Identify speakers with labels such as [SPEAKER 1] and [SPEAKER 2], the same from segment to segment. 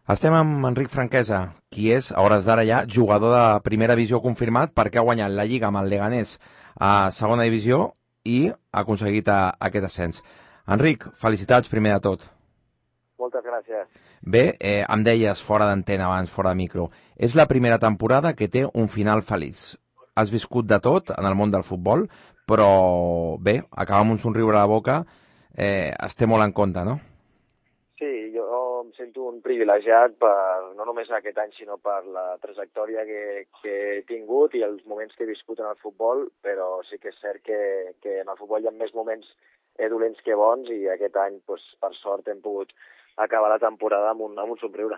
[SPEAKER 1] Estem amb Enric Franquesa, qui és, a hores d'ara ja, jugador de primera divisió confirmat perquè ha guanyat la Lliga amb el Leganés a segona divisió i ha aconseguit aquest ascens. Enric, felicitats primer de tot.
[SPEAKER 2] Moltes gràcies.
[SPEAKER 1] Bé, em deies fora d'antena abans, fora de micro, és la primera temporada que té un final feliç. Has viscut de tot en el món del futbol, però bé, acabar amb un somriure a la boca es té molt en compte, no?
[SPEAKER 2] Sí, jo em sento un privilegiat no només aquest any, sinó per la trajectòria que he tingut i els moments que he viscut en el futbol, però sí que és cert que en el futbol hi ha més moments dolents que bons i aquest any, doncs, per sort, hem pogut acabar la temporada amb un somriure.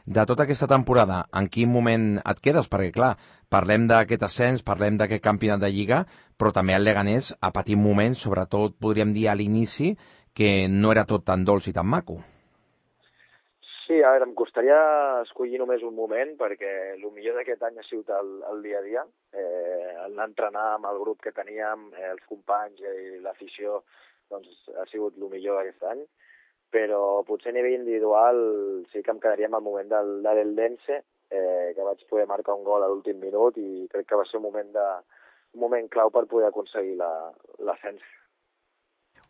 [SPEAKER 1] De tota aquesta temporada, en quin moment et quedes? Perquè, clar, parlem d'aquest ascens, parlem d'aquest campionat de Lliga, però també el Leganés ha patit moments, sobretot, podríem dir, a l'inici, que no era tot tan dolç i tan maco.
[SPEAKER 2] Sí, a veure, em costaria escollir només un moment, perquè el millor d'aquest any ha sigut el dia a dia. Anar a entrenar amb el grup que teníem, els companys i l'afició, doncs ha sigut el millor aquest any. Però potser a nivell individual sí que em quedaria amb el moment de l'Eldense, que vaig poder marcar un gol a l'últim minut i crec que va ser un moment clau per poder aconseguir l'ascens.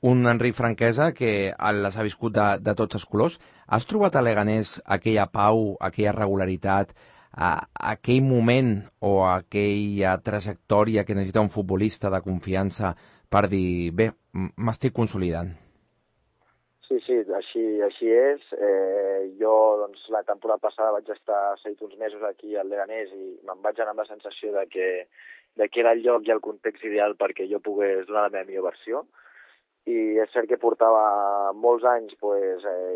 [SPEAKER 1] Un Enric Franquesa que les ha viscut de tots els colors. Has trobat a Leganés aquella pau, aquella regularitat, aquell moment o aquella trajectòria que necessita un futbolista de confiança per dir, bé, m'estic consolidant?
[SPEAKER 2] Sí, així és. Jo, doncs, la temporada passada vaig estar 7 mesos aquí al Leganés i me'n vaig anar amb la sensació de que era el lloc i el context ideal perquè jo pogués donar la meva millor versió. I és cert que portava molts anys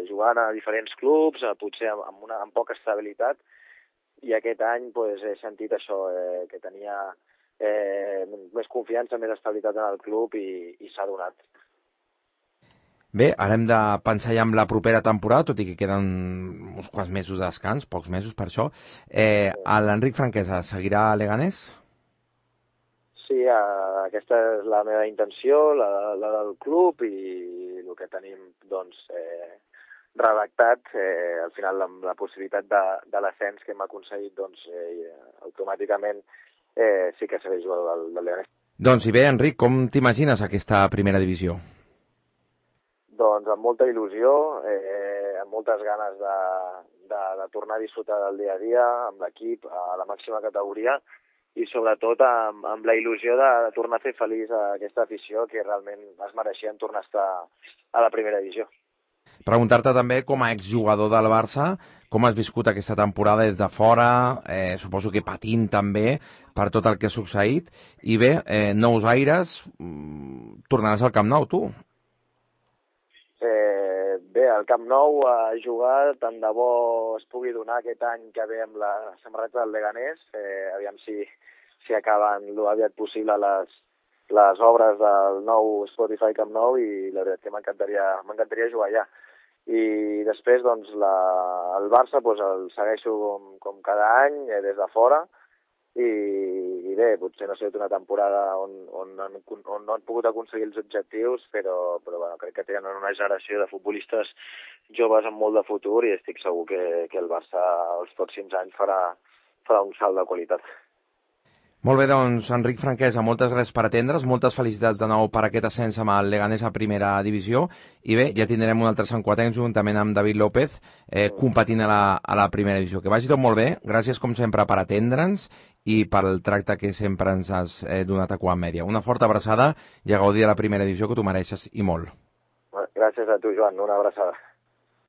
[SPEAKER 2] jugant a diferents clubs, potser amb poca estabilitat, i aquest any he sentit això, que tenia més confiança, més estabilitat en el club i s'ha donat.
[SPEAKER 1] Bé, ara hem de pensar ja en la propera temporada, tot i que queden uns quants mesos de descans, pocs mesos per això. L'Enric Franquesa seguirà a Leganés?
[SPEAKER 2] Sí, aquesta és la meva intenció, la del club, i el que tenim redactat, al final amb la possibilitat de l'ascens que hem aconseguit, automàticament sí que seré jugador del Leganés.
[SPEAKER 1] Doncs i bé, Enric, com t'imagines aquesta primera divisió?
[SPEAKER 2] Doncs amb molta il·lusió, amb moltes ganes de tornar a disfrutar del dia a dia amb l'equip a la màxima categoria, i sobretot amb la il·lusió de tornar a fer feliç a aquesta afició que realment es mereixien tornar a estar a la primera divisió.
[SPEAKER 1] Preguntar-te també, com a exjugador del Barça, com has viscut aquesta temporada des de fora, suposo que patint també per tot el que ha succeït, i bé, nous aires, tornaràs al Camp Nou, tu?
[SPEAKER 2] Bé, al Camp Nou a jugar, tant de bo es pugui donar aquest any que ve amb la samarreta del Leganés, aviam si acaben lo aviat possible les obres del nou Spotify Camp Nou, i la veritat que m'encantaria jugar allà. I després, doncs, el Barça el segueixo com cada any, des de fora, i bé, potser no ha sigut una temporada on no han pogut aconseguir els objectius, però bueno, crec que tenen una generació de futbolistes joves amb molt de futur i estic segur que el Barça els pròxims anys farà un salt de qualitat.
[SPEAKER 1] Molt bé, doncs, Enric Franquesa, moltes gràcies per atendre's, moltes felicitats de nou per aquest ascens amb el Leganés a primera divisió, i bé, ja tindrem un altre Sant Quatenc juntament amb David López competint a la primera divisió. Que vagi tot molt bé, gràcies com sempre per atendre'ns i pel tracte que sempre ens has donat a Quam Mèdia. Una forta abraçada i a gaudir de la primera divisió, que t'ho mereixes i molt.
[SPEAKER 2] Gràcies a tu, Joan, una abraçada.